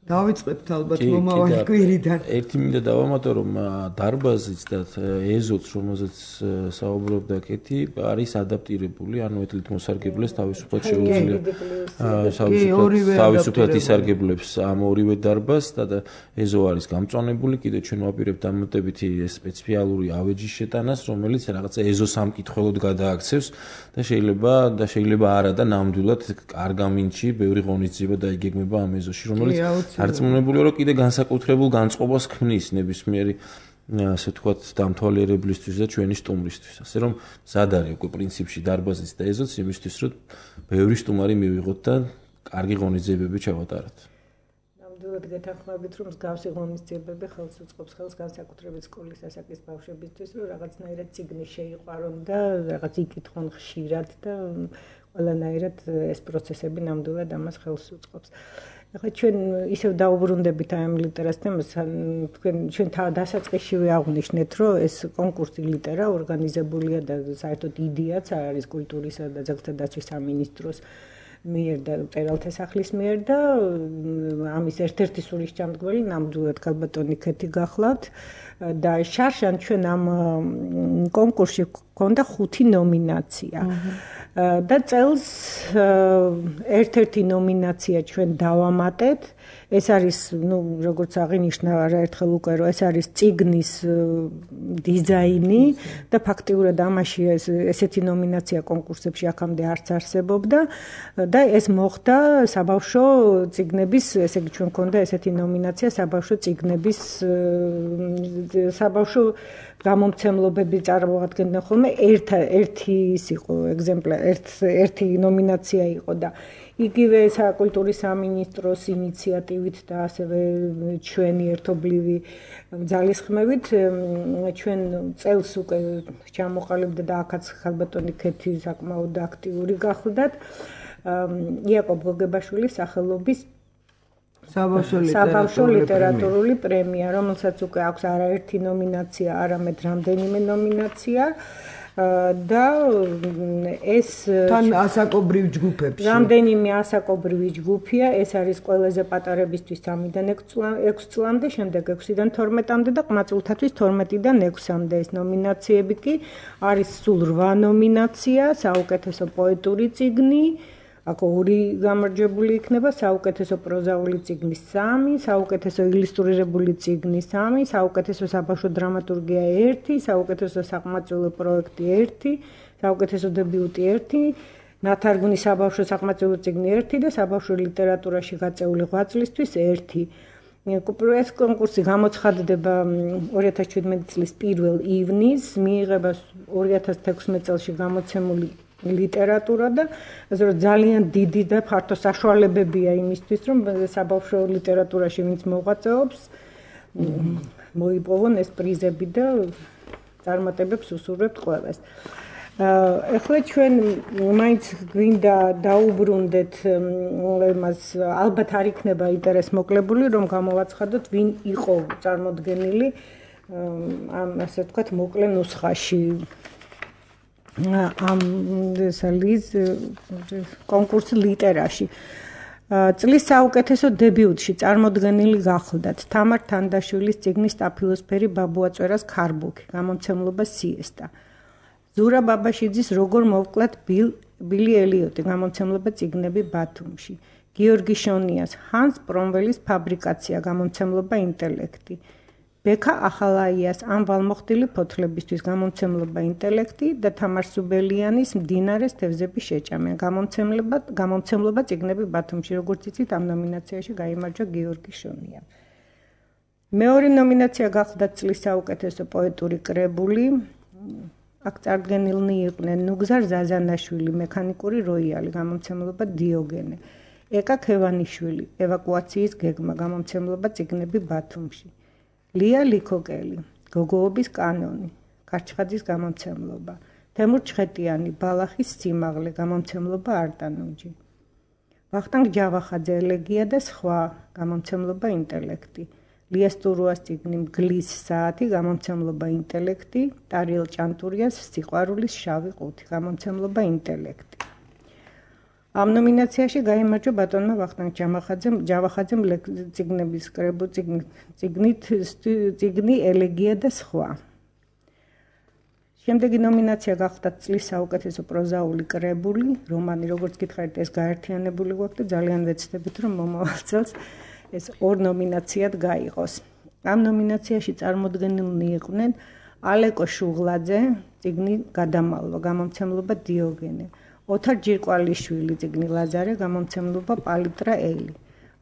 დავიწყებთ ალბათ მომავალი კვირიდან. ერთი მინდა დავამატო, რომ დარბაზიც და ეზოც, რომელზეც საუბრობდა კეთი, არის ადაპტირებული, ანუ ეთლით მოსარგებლეს თავისუფლად შეუძლია. თავისუფლად ისარგებლებს ამ ორივე დარბაზს და ეზო არის გამწვანებული, კიდევ ჩვენ ვაპირებთ დამატებითი სპეციალური ავეჯის შეტანას, რომელიც რაღაცა ეზო სამკითხველოდ გადააქცევს და შეიძლება და შეიძლება არა და ნამდვილად არ გამინჩი, ბევრი ღონისძიება დაიგეგმება ამ ეზოში, რომელიც არწმუნებულია, რომ კიდე განსაკუთრებულ განწყობას ქმნის ნებისმიერი ასე ვთქვათ დამთვალიერებლისთვის და ჩვენი სტუმრისთვის. ასე რომ მზად არის უკვე პრინციპში დარბაზიც და ეზოც იმისთვის, რომ ბევრი სტუმარი მივიღოთ და კარგი ღონისძიებები ჩავატაროთ. ნამდვილად გეთანხმებით, რომ მსგავსი ღონისძიებები ხელს უწყობს ხელს განსაკუთრებით სკოლის ასაკის ბავშვებისთვის, რომ რაღაცნაირად წიგნი შეიყვარონ და რაღაც იკითხონ ხშირად და ყველანაირად ეს პროცესები ნამდვილად ამას ხელს უწყობს. ახლა ჩვენ ისევ დაუბრუნდებით ამ ლიტერატურის თემას, თქვენ ჩვენ დასაწყისშივე აღვნიშნეთ, რომ ეს კონკურსი ლიტერა ორგანიზებულია და საერთოდ იდეაც არის კულტურისა და ძეგლთა დაცვის სამინისტროს მიერ და მწერალთა სახლის მიერ და ამის ერთ-ერთი სულისჩამდგმელი ნამდვილად ქალბატონი ქეთი გახლავთ და შარშან ჩვენ ამ კონკურსში გქონდა ხუთი ნომინაცია. და წელს ერთ-ერთი ნომინაცია ჩვენ დავამატეთ. ეს არის, ну, როგორც აღინიშნა არაერთხელ უკვე, რომ ეს არის წიგნის დიზაინი და ფაქტიურად ამაში ესეთი ნომინაცია კონკურსებში აქამდე არც არსებობდა და ეს მოხდა საბავშვო წიგნების, ესე იგი ჩვენ გქონდა ესეთი ნომინაცია საბავშვო წიგნების საბავშვო გამომცემლობები წარმოადგენდნენ ხოლმე ერთ ერთი ის იყო ეგზემპლარი, ერთ ერთი ნომინაცია იყო და იგივე საკულტურის სამინისტროს ინიციატივით და ასევე ჩვენი ერთობლივი ძალისხმევით ჩვენ წელს უკვე ჩამოყალიბდა და აქაც ხალბატონი ქეთი საკმაოდ აქტიური გახლდათ იაკობ გოგებაშვილის სახელობის საბავშვო ლიტერატურული პრემია, რომელსაც უკვე აქვს არაერთი ნომინაცია, არამედ რამდენიმე ნომინაცია და ეს თან ასაკობრივ ჯგუფებში. რამდენიმე ასაკობრივი ჯგუფია, ეს არის ყველაზე პატარებისთვის სამიდან ექვს წლამდე, შემდეგ ექვსიდან თორმეტამდე და ყმაწვილთათვის თორმეტიდან ექვსამდე. ეს ნომინაციები კი არის სულ რვა ნომინაცია, საუკეთესო პოეტური წიგნი, აქ ორი გამარჯვებული იქნება, საუკეთესო პროზაული წიგნი სამი, საუკეთესო ილუსტრირებული წიგნი სამი, საუკეთესო საბავშვო დრამატურგია ერთი, საუკეთესო საყმაწვილო პროექტი ერთი, საუკეთესო დებიუტი ერთი, ნათარგმნი საბავშვო საყმაწვილო წიგნი ერთი და საბავშვო ლიტერატურაში გაწეული ღვაწლისთვის ერთი. ეს კონკურსი გამოცხადდება ორი ათას შვიდმეტი წლის პირველ ივნისს, მიიღება ორი ათას თექვსმეტ წელს გამოცემული ლიტერატურა და ასე რომ ძალიან დიდი და ფართო საშუალებებია იმისთვის, რომ საბავშვო ლიტერატურაში ვინც მოღვაწეობს, მოიპოვონ ეს პრიზები და წარმატებებს უსურვებთ ყველას. ეხლა ჩვენ მაინც გვინდა დაუბრუნდეთ იმას, ალბათ არ იქნება ინტერეს მოკლებული, რომ გამოვაცხადოთ, ვინ იყო წარმოდგენილი ამ ასე ვთქვათ მოკლე ნუსხაში. ამ ესალის კონკურსი ლიტერაში. წლის საუკეთესო დებიუტში წარმოდგენილი გახლდათ თამარ თანდაშვილის წიგნის სტაფილოსფერი ბაბუაწვერას ქარბუქი, გამომცემლობა სიესტა. ზურა ბაბაშიძის როგორ მოვკლათ ბილი ელიოტი, გამომცემლობა წიგნები ბათუმში. გიორგი შონიას ჰანს პრომველის ფაბრიკაცია, გამომცემლობა ინტელექტი. ბექა ახალაიას ამ ვალმოხდილი ფოთლებისთვის, გამომცემლობა ინტელექტი და თამარ სუბელიანის მდინარეს თევზების შეჭამია, გამომცემლობა გამომცემლობა წიგნები ბათუმში. როგორც იცით, ამ ნომინაციაში გაიმარჯვა გიორგი შონია. მეორე ნომინაცია გახლდათ წლის საუკეთესო პოეტური კრებული. აქ წარდგენილნი იყვნენ ნუგზარ ზაზანაშვილი, მექანიკური როიალი, გამომცემლობა დიოგენე. ეკა ქევანიშვილი, ევაკუაციის გეგმა, გამომცემლობა წიგნები ბათუმში. ლია ლიქოკელი, გოგოობის კანონი, კარჩხაძის გამომცემლობა. თემურ ჩხეტიანი, ბალახის სიმაღლე, გამომცემლობა არტანუჯი. ვახტანგ ჯავახაძე, ელეგია და სხვა, გამომცემლობა ინტელექტი. ლია სტურუას წიგნი მგლის საათი, გამომცემლობა ინტელექტი. ტარიელ ჭანტურიას სიყვარულის შავი ყუთი, გამომცემლობა ინტელექტი. ამ ნომინაციაში გაიმარჯვა ბატონმა ვახტანგ ჯავახაძემ წიგნების კრებული წიგნით წიგნი ელეგია და სხვა. შემდეგი ნომინაცია გახლდათ წლის საუკეთესო პროზაული კრებული, რომანი, როგორც გითხარით, ეს გაერთიანებული გვაქვს და ძალიან ვეცდებით, რომ მომავალ წელს ეს ორ ნომინაციად გაიღოს. ამ ნომინაციაში წარმოდგენილნი იყვნენ ალეკო შუღლაძე, წიგნი გადამალვა, გამომცემლობა დიოგენე. ოთარ ჯირკვალიშვილი, წიგნი ლაზარე, გამომცემლობა პალიტრა ელი.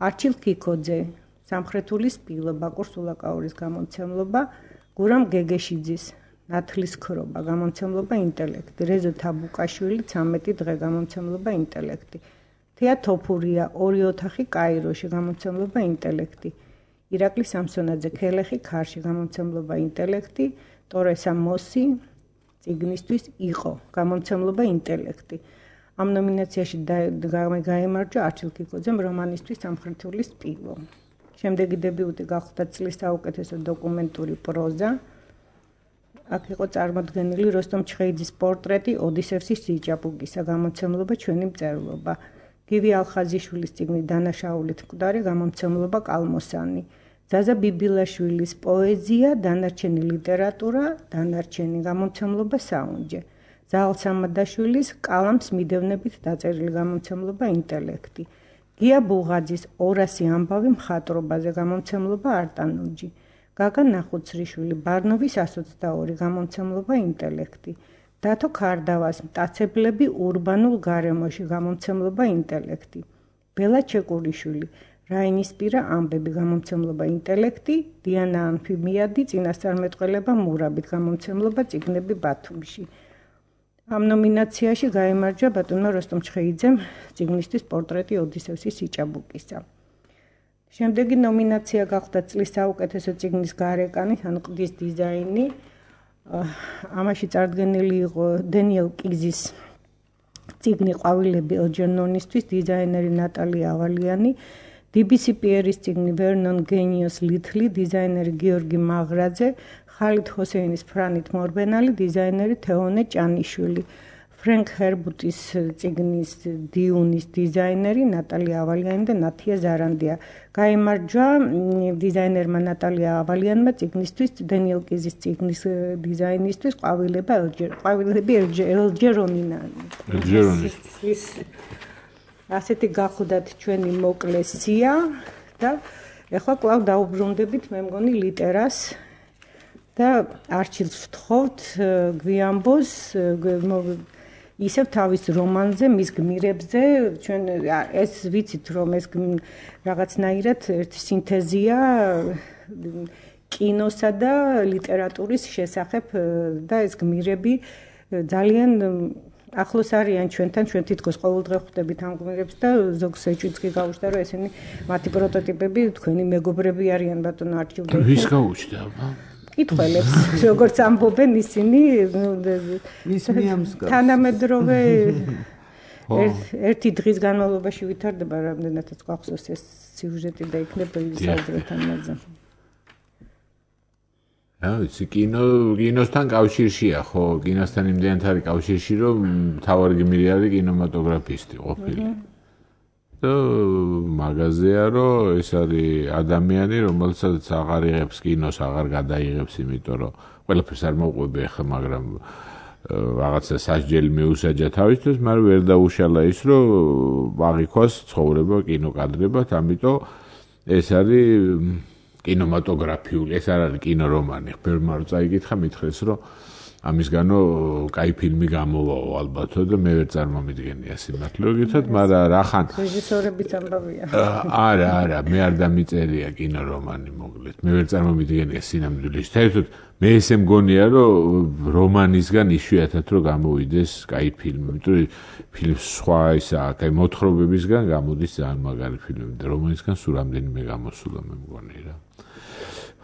არჩილ კიკოძე, სამხრეთული სპილო, ბაკურ სულაკაურის გამომცემლობა. გურამ გეგეშიძის, ნათლის ქრობა, გამომცემლობა ინტელექტი. რეზო თაბუკაშვილი, ცამეტი დღე, გამომცემლობა ინტელექტი. თეა თოფურია, ორი ოთახი კაიროში, გამომცემლობა ინტელექტი. ირაკლი სამსონაძე, ქელეხი ქარში, გამომცემლობა ინტელექტი. ტორესა მოსი, წიგნისთვის იყო, გამომცემლობა ინტელექტი. ამ ნომინაციაში გაიმარჯვა არჩილ კიკოძემ რომანისთვის სამხრეთული სპილო. შემდეგი დებიუტი გახლდათ წლის საუკეთესო დოკუმენტური პროზა. აქ იყო წარმოდგენილი როსტომ ჩხეიძის პორტრეტი ოდისევსის სიჭაბუკისა, გამომცემლობა ჩვენი მწერლობა. გივი ალხაზიშვილის წიგნი დანაშაულით მკვდარი, გამომცემლობა კალმოსანი. ზაზა ბიბილაშვილის პოეზია, დანარჩენი ლიტერატურა, დანარჩენი, გამომცემლობა საუნჯე. ზაალ სამადაშვილის კალამს მიდევნებით დაწერილი, გამომცემლობა ინტელექტი. გია ბუღაძის ორასი ამბავი მხატვრობაზე, გამომცემლობა არტანუჯი. გაგა ნახუცრიშვილი, ბარნოვის ასო ოცდაორი, გამომცემლობა ინტელექტი. დათო ქარდავას მტაცებლები ურბანულ გარემოში, გამომცემლობა ინტელექტი. ბელა ჩეკურიშვილი, რაინისპირა ამბები, გამომცემლობა ინტელექტი. დიანა ანფიმიადი, წინასწარმეტყველება მურაბით, გამომცემლობა წიგნები ბათუმში. ამ ნომინაციაში გაიმარჯვა ბატონმა როსტომ ჩხეიძემ წიგნისთვის პორტრეტი ოდისევსის სიჭაბუკისა. შემდეგი ნომინაცია გახლდათ წლის საუკეთესო წიგნის გარეკანი, ან ყდის დიზაინი. ამაში წარდგენილი იყო დენიელ კიზის წიგნი ყვავილები ელჯერნონისთვის, დიზაინერი ნატალია ავალიანი. დი-ბი-სი პიერის წიგნი ვერნონ გენიოს ლითლი, დიზაინერი გიორგი მაღრაძე. ხალით ჰოსეინის ფრანით მორბენალი, დიზაინერი თეონე ჭანიშვილი. ფრენკ ჰერბუტის წიგნის დიუნის დიზაინერი ნატალია ავალიანი და ნათია ზარანდია. გაიმარჯვა დიზაინერმა ნატალია ავალიანმა წიგნისთვის, დენიელ კიზის წიგნის დიზაინისთვის ყვავილები ელჯერონინანი. ელჯერონის. ასეთი გახუდათ ჩვენი მოკლე სია და ეხლა კვლავ დაუბრუნდებით მე მგონი ლიტერას და არჩილს ვთხოვთ გვიამბოს ისევ თავის რომანზე, მის გმირებზე, ჩვენ ეს ვიცით რომ ეს რაღაცნაირად ერთი სინთეზია კინოსა და ლიტერატურის შესახებ და ეს გმირები ძალიან ახლოს არიან ჩვენთან, ჩვენ თითქოს ყოველდღე ხვდებით ამ გმირებს და ზოგს ეჭვიც კი გავუჩნდა რომ ესენი მათი პროტოტიპები თქვენი მეგობრები არიან ბატონო არჩილ. ვის გაუჩნდა? კითხველებს, როგორც ამბობენ ისინი, მის მიამსგავს. თანამედროვე ერთი დღის განმავლობაში ვითარდება რამდენადაც გვახსოვს ეს სიუჟეტი და იქნება ვისაუბროთ ამაზე. აა, ის კინო კინოსთან კავშირშია, ხო, კინოსთან იმდენად არის კავშირში, რომ თავარი გმირი არის კინემატოგრაფისტი ყოფილი. და მაგაზია რომ ეს არის ადამიანი რომელსაც აღარ იღებს კინოს აღარ გადაიღებს იმიტომ რომ ყველაფერს არ მოყვები ახლა მაგრამ რაღაცა სასჯელი მიუსაჯა თავისთვის მაგრამ ვერ დაუშალა ის რომ აღიქვას ცხოვრება კინოკადრებად ამიტომ ეს არის კინემატოგრაფიული ეს არ არის კინორომანი ხბერმა რო წაიკითხა მითხრეს რომ ამისგანო კაი ფილმი გამოვაო ალბათო და მე ვერ წარმომიდგენია სიმართლეობითად, მაგრამ რახან რეჟისორების ამბავია. არა, არა, მე არ დამიწერია კინორომანი მოკლედ. მე ვერ წარმომიდგენია სინამდვილეში. საერთოდ მე ესე მგონია, რომ რომანისგან იშვიათად რომ გამოვიდეს კაი ფილმი, იმიტომ რომ ფილმს სხვა ისა, კაი მოთხრობებისგან გამოდის ძალიან მაგარი ფილმები და რომანისგან სულ რამდენიმე გამოსულა მე მგონი რა.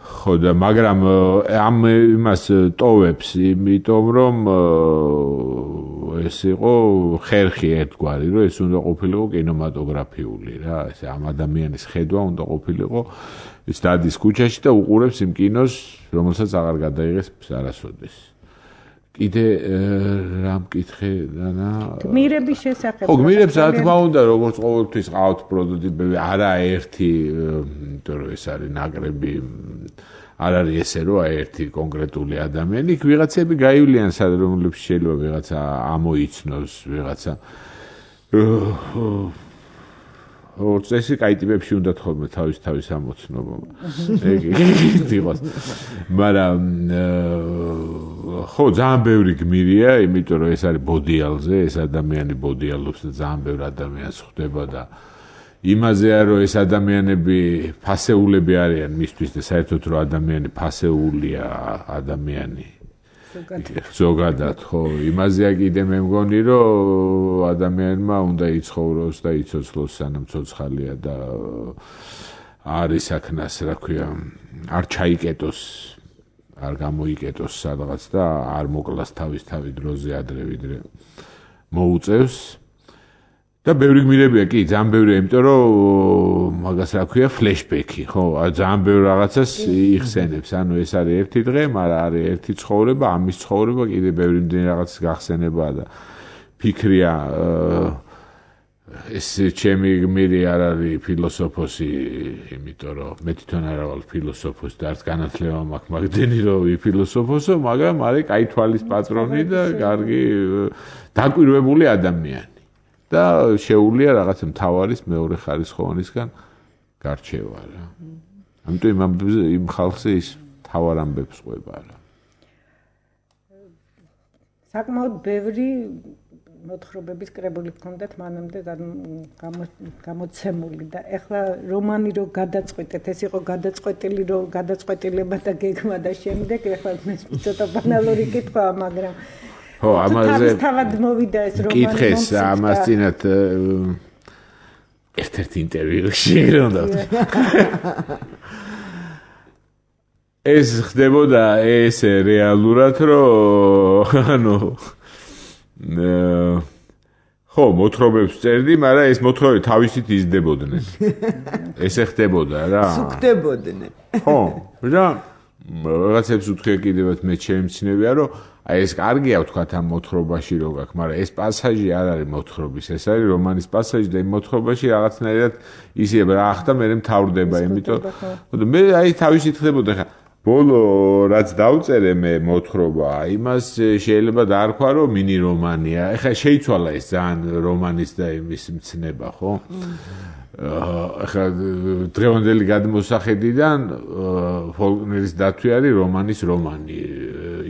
ხო და მაგრამ ამ იმას ტოვებს იმიტომ რომ ეს იყო ხერხი ერთგვარი რომ ეს უნდა ყოფილიყო კინემატოგრაფიული რა ეს ამ ადამიანის ხედვა უნდა ყოფილიყო ის დადის ქუჩაში და უყურებს იმ კინოს რომელსაც აღარ გადაიღეს არასოდეს კიდე რა მკითხე დანა გმირების შესახებ ხო გმირებს რა თქმა უნდა როგორც ყოველთვის ყავთ პროტოტიპები არა ერთი იმიტომ რომ ეს არის ნაკრები არ არის ესე რომ ერთი კონკრეტული ადამიანი იქ ვიღაცები გაივლიან სად რომლებს შეიძლება ვიღაცა ამოიცნოს ვიღაცა ორ წესი კაი ტიპებში უნდა თხოვმე თავის თავის ამოცნობა ეგ იყოს მაგრამ ხო ძალიან ბევრი გმირია იმიტომ რომ ეს არის ბოდიალზე ეს ადამიანი ბოდიალობს და ძალიან ბევრი ადამიანს ხვდება და იმაზეა რომ ეს ადამიანები ფასეულები არიან მისთვის და საერთოდ რომ ადამიანი ფასეულია ადამიანი ზოგადად ხო იმაზეა კიდე მე მგონი რომ ადამიანმა უნდა იცხოვროს და იცოცხლოს სანამ ცოცხალია და არის აქნას რა ქვია არ ჩაიკეტოს არ გამოიკეტოს სადღაც და არ მოკლას თავის თავი დროზე ადრე ვიდრე მოუწევს და ბევრი გმირებია კი ძალიან ბევრია იმიტომ რომ მაგას რა ქვია ფლეშბექი ხო ძალიან ბევრ რაღაცას იხსენებს ანუ ეს არის ერთი დღე მაგრამ არის ერთი ცხოვრება ამის ცხოვრება კიდე ბევრი მდენი რაღაცის გახსენება და ფიქრია ეს ჩემი გმირი არ არის ფილოსოფოსი იმიტომ რომ მე თვითონ არა ვარ ფილოსოფოსი და არც განათლება მაქვს მაგდენი რომ ვიფილოსოფოსო მაგრამ არის კაი თვალის პატრონი და კარგი დაკვირვებული ადამიანი და შეუულია რაღაცა მთავარის მეორე ხარისხოვანისგან გარჩევა რა. ამიტომ იმ ხალხზე ის მთავარ ამბებს ყვება რა. საკმაოდ ბევრი მოთხრობების კრებული ჰქონდათ მანამდე გამოცემული და ეხლა რომანი რო გადაწყვეტეთ ეს იყო გადაწყვეტილი რო გადაწყვეტილება და გეგმა და შემდეგ ეხლა მე ცოტა ბანალური კითხვაა მაგრამ ხო ამაზე თავად მოვიდა ეს რომანი კითხეს ამას წინათ ერთ-ერთ ინტერვიუში უნდა ეს ხდებოდა ეს რეალურად რომ ანუ ხო მოთხრობებს წერდი მაგრამ ეს მოთხრობები თავისით იზრდებოდნენ ესე ხდებოდა რა სუქდებოდნენ ხო რა რაღაცებს უთხრია კიდევაც მე შემცნებია რომ აი ეს კარგია ვთქვათ ამ მოთხრობაში რო გაქვს, მაგრამ ეს პასაჟი არ არის მოთხრობის, ეს არის რომანის პასაჟი და იმ მოთხრობაში რაღაცნაირად ისე რა ახდა მე მთავრდება, იმიტომ მე აი თავისით ხდებოდა ხა ბოლო რაც დავწერე მე მოთხრობა, იმას შეიძლება დაარქვა, რომ მინი რომანია. ეხლა შეიცვალა ეს ძალიან რომანის და იმის მცნება, ხო? ეხლა დღევანდელი გადმოსახედიდან ფოლკნერის დათვი არის რომანის რომანი.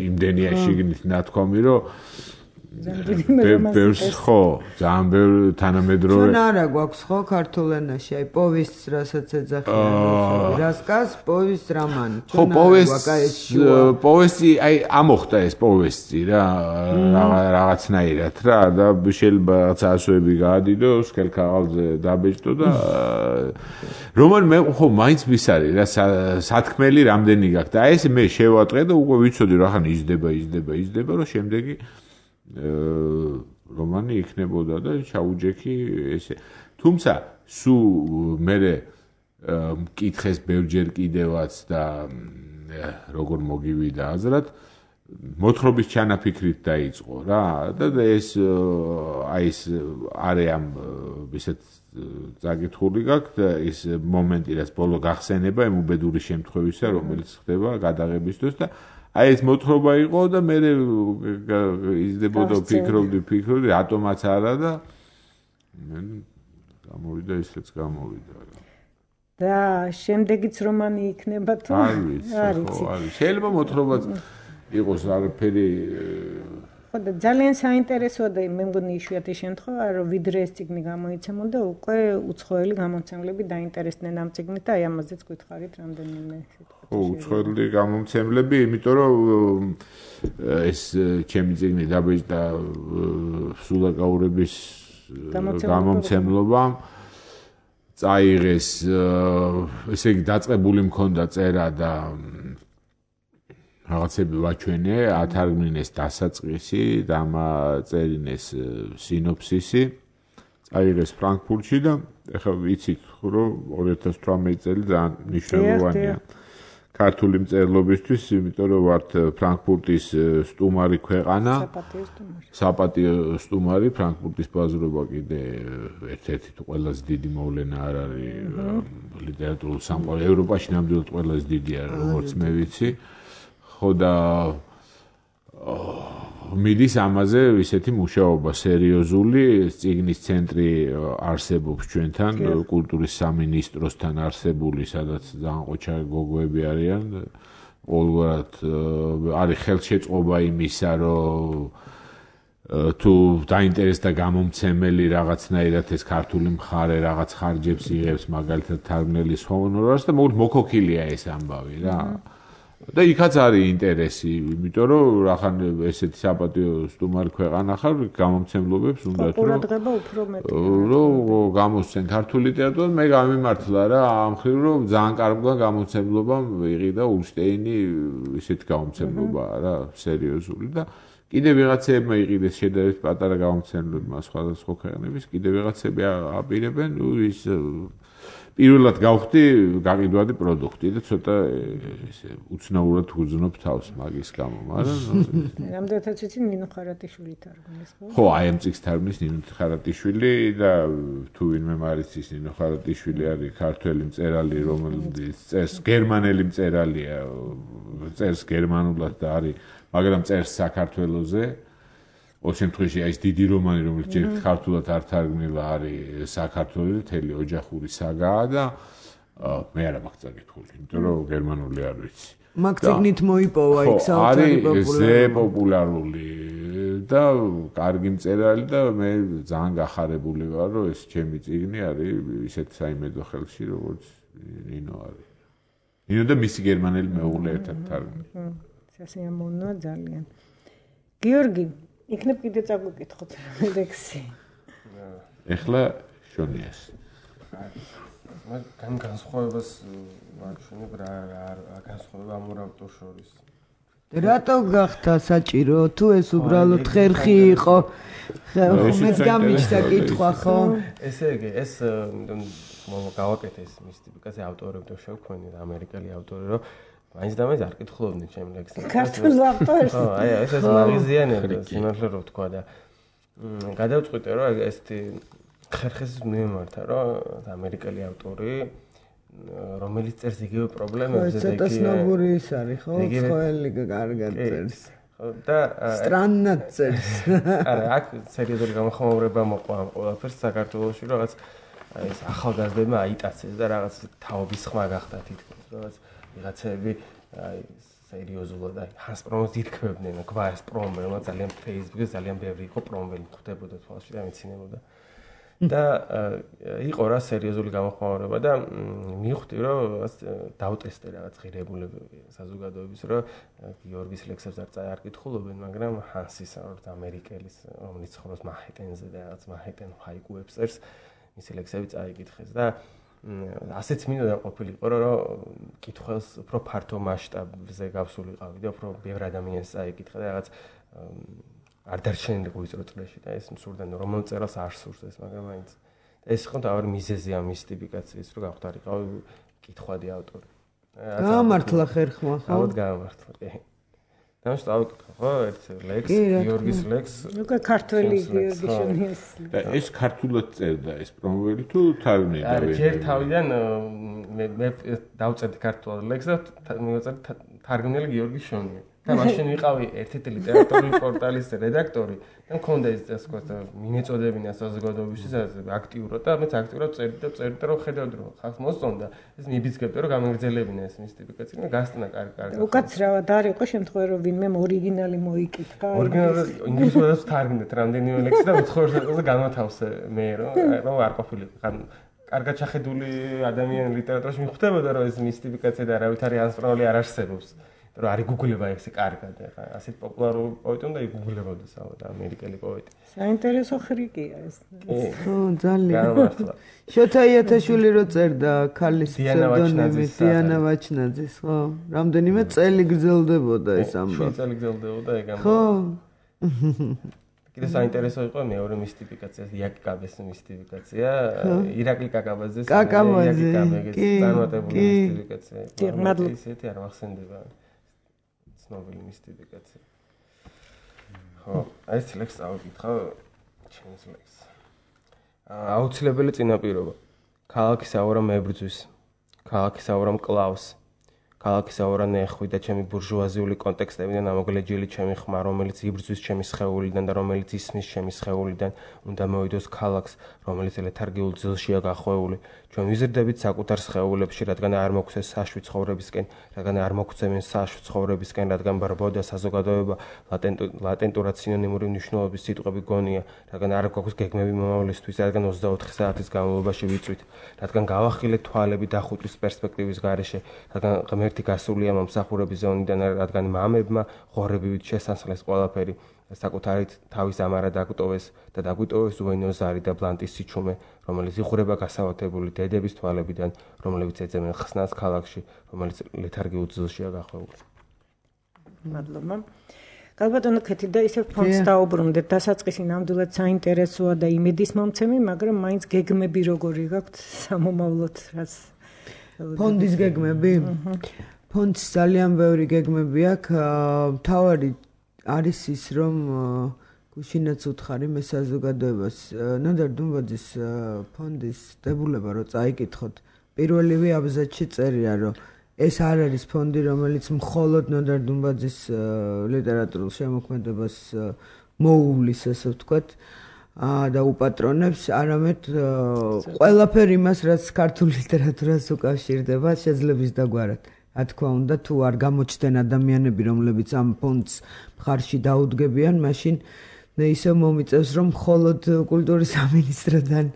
იმდენია შიგნით ნათქვამი, რომ ბევრს ხო, ძალიან ბევრ თანამედროვე. ჩვენ არა გვაქვს ხო ქართულ ენაში, აი პოვესტს რასაც ეძახიან, რასკას, პოვესტს, რომანი. ხო, პოვესტი, პოვესტი, აი ამოხდა ეს პოვესტი რა, რაღაცნაირად რა და შეიძლება რაღაც ასოები გაადიდო, სქელ ქაღალდზე დაბეჭდო და რომანი მე ხო მაინც მისარი რა სათქმელი რამდენი გაქვს და ეს მე შევატყე და უკვე ვიცოდი რა ხან იზრდება, იზრდება, იზრდება, რომ შემდეგი რომანი იქნებოდა და ჩაუჯექი ესე. თუმცა სუ მე მკითხეს ბევრჯერ კიდევაც და როგორ მოგივიდა აზრად მოთხრობის ჩანაფიქრით დაიწყო რა და ეს აი ეს არიან ისეთ წაკითხული გაქვს და ეს მომენტი რაც ბოლო გახსენება იმ უბედური შემთხვევისა რომელიც ხდება გადაღებისთვის და აი ეს მოთხრობა იყო და მე იზრდებოდა ფიქრობდი ფიქრობდი რატომაც არა და გამოვიდა ისეც გამოვიდა და შემდეგიც რომანი იქნება თუ არ ვიცი ხო არის შეიძლება მოთხრობაც იყოს არაფერი ხო და ძალიან საინტერესოა და მე მგონი იშვიათი შემთხვევა რომ ვიდრე ეს წიგნი გამოიცემოდა უკვე უცხოელი გამომცემლები დაინტერესდნენ ამ წიგნით და აი ამაზეც გითხარით რამდენიმე ხო უცხოელი გამომცემლები იმიტომ რომ ეს ჩემი წიგნი დაბეჭდა სულაკაურების გამომცემლობამ წაიღეს ესე იგი დაწყებული მქონდა წერა და რაღაცები ვაჩვენე, ათარგმნეს დასაწყისი, დამაწერინეს სინოფსისი, წაიღეს ფრანკფურტში და ეხლა ვიცით, რომ ორი ათას თვრამეტი წელი ძალიან მნიშვნელოვანია ქართული მწერლობისთვის, იმიტომ რომ ვართ ფრანკფურტის სტუმარი ქვეყანა, საპატიო სტუმარი, ფრანკფურტის ბაზრობა კიდე ერთ-ერთი ყველაზე დიდი მოვლენა არ არის ლიტერატურულ სამყაროში, ევროპაში ნამდვილად ყველაზე დიდია, როგორც მე ვიცი. ხო და მიდის ამაზე ისეთი მუშაობა სერიოზული წიგნის ცენტრი არსებობს ჩვენთან კულტურის სამინისტროსთან არსებული სადაც ძალიან ყოჩარი გოგოები არიან ყოველგვარად არის ხელშეწყობა იმისა რომ თუ დაინტერესდა გამომცემელი რაღაცნაირად ეს ქართული მხარე რაღაც ხარჯებს იღებს მაგალითად თარგმნელის ჰონორარს და მოქოქილია ეს ამბავი რა და იქაც არის ინტერესი, იმიტომ რომ რახან ესეთი საპატიო სტუმარი ქვეყანა ხარ, გამომცემლობებს უნდა თუ ყურადღება უფრო მეტია. რომ გამოსცენ ქართული ლიტერატურა, მე გამიმართლა რა, ამ ხრივ რომ ძალიან კარგია გამომცემლობამ ვიღიდა ულშტეინი ისეთი გამომცემლობა რა, სერიოზული და კიდე ვიღაცებმა იყიდეს შედარებით პატარა გამომცემლებმა სხვადასხვა ქვეყნების, კიდე ვიღაცები აპირებენ, ნუ ის პირველად გავხდი გაყიდვადი პროდუქტი და ცოტა ესე უცნაურად უძნობ თავს მაგის გამო, მაგრამ რამდენადაც ვიცი ნინო ხარატიშვილი თარგმნის, ხო? ხო, აი ამ წიგნს თარგმნის ნინო ხარატიშვილი და თუ ვინმე მარიცის ნინო ხარატიშვილი არის ქართველი მწერალი, რომელიც წერს გერმანელი მწერალია, წერს გერმანულად და არის, მაგრამ წერს საქართველოზე. ორ შემთხვევაში აი ეს დიდი რომანი, რომელიც ჯერ ქართულად არ თარგმნილა, არის საქართველოს მთელი ოჯახური საგაა და მე არა მაქვს წაკითხული, იმიტომ რომ გერმანული არ ვიცი. მაგ წიგნით მოიპოვა იქ საოცარი პოპულარული. ზე პოპულარული და კარგი მწერალი და მე ძალიან გახარებული ვარ, რომ ეს ჩემი წიგნი არის ისეთ საიმედო ხელში, როგორც ნინო არის. ნინო და მისი გერმანელი მეუღლე ერთად თარგმნილი. სასიამოვნოა ძალიან. გიორგი იქნებ კიდე წაგვიკითხოთ ლექსი. ეხლა შონიას. მაგ განსხვავებას ვაჩვენებ რა რა განსხვავება ამ ორ ავტორს შორის. რატო გახდა საჭირო თუ ეს უბრალოდ ხერხი იყო? მეც გამიჩნდა კითხვა ხო? ესე იგი ეს გავაკეთე ეს მისტიფიკაცია ავტორებთან შევქმნი ამერიკელი ავტორი რომ მაინც და მაინც არ კითხულობდნენ ჩემ ლექსებს. ქართულ ავტორს. ხო, აი ეს ეს მაგიზიანები, სიმართლე რო ვთქვა და გადავწყვიტე რომ ესეთი ხერხეს მიმართა რომ ამერიკელი ავტორი რომელიც წერს იგივე პრობლემებზე და ცოტა სნობური ის არის, ხო? ცხოველი კარგად წერს. ხო და სტრანნად წერს. არა, აქ სერიოზული გამოხმაურება მოყვა ამ ყველაფერს საქართველოში, რაღაც აი ეს ახალგაზრდებმა აიტაცეს და რაღაც თაობის ხმა გახდა თითქოს, რაღაც ვიღაცები აი სერიოზულად აი ჰანს პრომოს ითქმებდნენ, გვარის პრომო, რომელიც ძალიან Facebook-ზე ძალიან ბევრი იყო პრომელი ხდებოდა თვალში და მიცინებოდა. და იყო რა სერიოზული გამოხმაურება და მივხვდი რომ დავტესტე რაღაც ღირებულებები საზოგადოების რომ გიორგის ლექსებს არ კითხულობენ, მაგრამ ჰანსის როგორც ამერიკელის რომელიც ცხოვრობს მაჰეტენზე და რაღაც მაჰეტენ ჰაიკუებს წერს მისი ლექსები წაიკითხეს და ასეც მინდა ყოფილიყო რომ კითხველს უფრო ფართო მასშტაბზე გავსულიყავი და უფრო ბევრ ადამიანს წაიკითხა და რაღაც არ დარჩენილიყო ვიწრო წრეში და ეს მსურდა რომელ წერას არ სურს ეს მაგრამ მაინც ეს იყო თავი მიზეზი ამ მისტიფიკაციის რომ გავხდარიყავი კითხვადი ავტორი გამართლა ხერხმა ხო ალბათ გამართლა კი ნამს დავიკითხო ხო ერთ ლექს გიორგის ლექს უკვე ქართველი გიორგი შონიას და ეს ქართულად წერდა ეს პრომოველი თუ თარგმნილი არა ჯერ თავიდან მე მე დავწერდი ქართულად ლექს და მივაწერდი თარგმნილი გიორგი შონია და მაშინ ვიყავი ერთ-ერთი ლიტერატურული პორტალის რედაქტორი და მქონდა ეს ასე ვთქვათ მიმეწოდებინა საზოგადოებისთვის აქტიურად და მეც აქტიურად წერდი და წერდი რომ ხედავდი რომ ხალხს მოსწონდა ეს მიბიძგებდი რომ გამეგრძელებინა ეს მისტიფიკაცია და გასტნა კარგი კარგი უკაცრავად არ იყო შემთხვევა რომ ვინმე ორიგინალი მოიკითხა ორიგინალურად ინგლისურად თარგმნეთ რამდენიმე ლექსი და უცხოურ განათავსე მე რომ რომ არ ყოფილიყო ხან კარგად შეხედული ადამიანი ლიტერატურაში მიხვდებოდა რომ ეს მისტიფიკაცია და არავითარი ანსპროლი არ არსებობს რომ არის გუგლება ესე კარგად ახლა ასეთ პოპულარული პოეტი უნდა იგუგლებოდეს ალბათ ამერიკელი პოეტი. საინტერესო ხრიკია ეს. ხო, ძალიან. შოთა იათაშვილი რო წერდა ქალის ფსევდონიმით დიანა ვაჩნაძის, ხო? რამდენიმე წელი გრძელდებოდა ეს ამბავი. შვიდი წელი გრძელდებოდა ეგ ამბავი. ხო. კიდე საინტერესო იყო მეორე მისტიფიკაცია, იაკი კაბეს მისტიფიკაცია, ირაკლი კაკაბაძეს იაკი კაბეს წარმატებული მისტიფიკაცია. ისეთი არ მახსენდება. ცნობილი მისტიფიკაცია. ხო, ეს ლექს ავიკითხა, ჩემს ლექს. აუცილებელი წინაპირობა. ქალაქის აურა მებრძვის. ქალაქის აურა მკლავს. ქალაქის აურა ნეხვი და ჩემი ბურჟუაზიული კონტექსტებიდან ამოგლეჯილი ჩემი ხმა, რომელიც იბრძვის ჩემი სხეულიდან და რომელიც ისმის ჩემი სხეულიდან, უნდა მოვიდოს ქალაქს, რომელიც ლეთარგიულ ძილშია გახვეული. ჩვენ ვიზრდებით საკუთარ სხეულებში, რადგან არ მოგვცეს საშუი ცხოვრებისკენ, რადგან არ მოგვცემენ საშუი ცხოვრებისკენ, რადგან ბრბო და საზოგადოება ლატენტურად სინონიმური მნიშვნელობის სიტყვები გონია, რადგან არ გვაქვს გეგმები მომავლისთვის, რადგან ოცდაოთხი საათის განმავლობაში ვიწვით, რადგან გავახილეთ თვალები დახუტვის პერსპექტივის გარეშე, რადგან ღმერთი გასულია მომსახურების ზონიდან, რადგან მამებმა ღორებივით შესანსლეს ყველაფერი. საკუთარით თავის ამარა დაგვიტოვეს და დაგვიტოვეს უენო ზარი და ბლანტის სიჩუმე, რომელიც იღურება გასავათებული დედების თვალებიდან, რომლებიც ეძებენ ხსნას ქალაქში, რომელიც ლეთარგიულ ძილშია გახვეული. მადლობა. გალბატონო ქეთი და ისევ ფონდს დაუბრუნდეთ, დასაწყისი ნამდვილად საინტერესოა და იმედის მომცემი, მაგრამ მაინც გეგმები როგორი გაქვთ სამომავლოდ, რაც ფონდის გეგმები? ფონდს ძალიან ბევრი გეგმები აქვს, თავარი არის ის რომ გუშინაც უთხარი მე საზოგადოებას ნოდარ დუმბაძის ფონდის დებულება რო წაიკითხოთ პირველივე აბზაცში წერია რომ ეს არ არის ფონდი რომელიც მხოლოდ ნოდარ დუმბაძის ლიტერატურულ შემოქმედებას მოუვლის ასე ვთქვათ და უპატრონებს არამედ ყველაფერი იმას რაც ქართულ ლიტერატურას უკავშირდება შეძლებს დაგვარად რა თქმა უნდა თუ არ გამოჩნდნენ ადამიანები რომლებიც ამ ფონდს მხარში დაუდგებიან მაშინ მე ისე მომიწევს რომ მხოლოდ კულტურის სამინისტროდან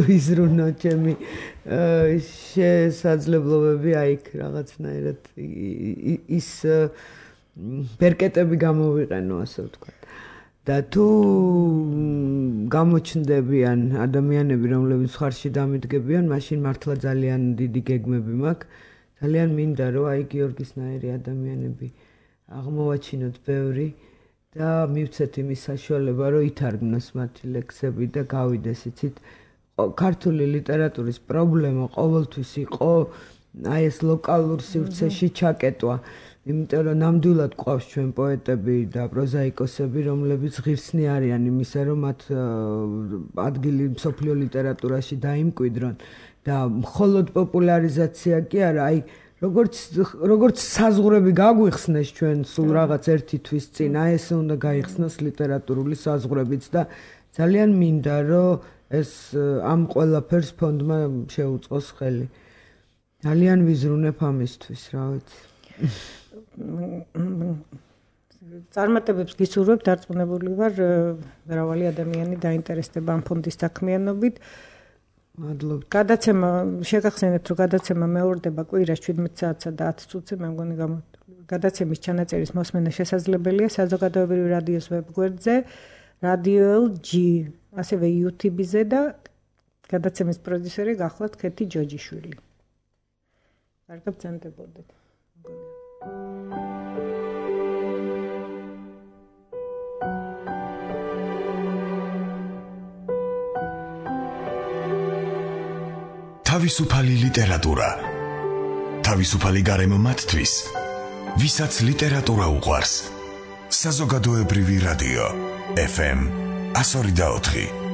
ვიზრუნო ჩემი შესაძლებლობები აიქ რაღაცნაირად ის ბერკეტები გამოვიყენო ასე ვთქვათ და თუ გამოჩნდებიან ადამიანები რომლებიც მხარში დამიდგებიან მაშინ მართლა ძალიან დიდი გეგმები მაქვს ძალიან მინდა რომ აი გიორგისნაირი ადამიანები აღმოვაჩინოთ ბევრი და მივცეთ იმის საშუალება რომ ითარგმნოს მათი ლექსები და გავიდეს იცით ქართული ლიტერატურის პრობლემა ყოველთვის იყო აი ეს ლოკალურ სივრცეში ჩაკეტვა იმიტომ რომ ნამდვილად ყავს ჩვენ პოეტები და პროზაიკოსები რომლებიც ღირსნი არიან იმისა რომ მათ ადგილი მსოფლიო ლიტერატურაში დაიმკვიდრონ და მხოლოდ პოპულარიზაცია კი არა, აი როგორც როგორც საზღვრები გაგვიხსნეს ჩვენ სულ რაღაც ერთი თვის წინ, აი ესე უნდა გაიხსნას ლიტერატურული საზღვრებიც და ძალიან მინდა რომ ეს ამ ყველაფერს ფონდმა შეუწყოს ხელი. ძალიან ვიზრუნებ ამისთვის, რა ვიცი. წარმატებებს გისურვებ, დარწმუნებული ვარ, მრავალი ადამიანი დაინტერესდება ამ ფონდის საქმიანობით. მადლობთ. გადაცემა შეგახსენებთ, რომ გადაცემა მეორდება კვირას შვიდმეტ საათსა და ათ წუთზე, მე მგონი გადაცემის ჩანაწერის მოსმენა შესაძლებელია საზოგადოებრივი რადიოს ვებგვერდზე, Radio ელ ჯი, ასევე YouTube-ზე და გადაცემის პროდიუსერი გახლავთ ქეთი ჯოჯიშვილი. კარგად ბრძანდებოდეთ. თავისუფალი ლიტერატურა. თავისუფალი გარემო მათთვის, ვისაც ლიტერატურა უყვარს. საზოგადოებრივი რადიო ეფ ემ one oh four point four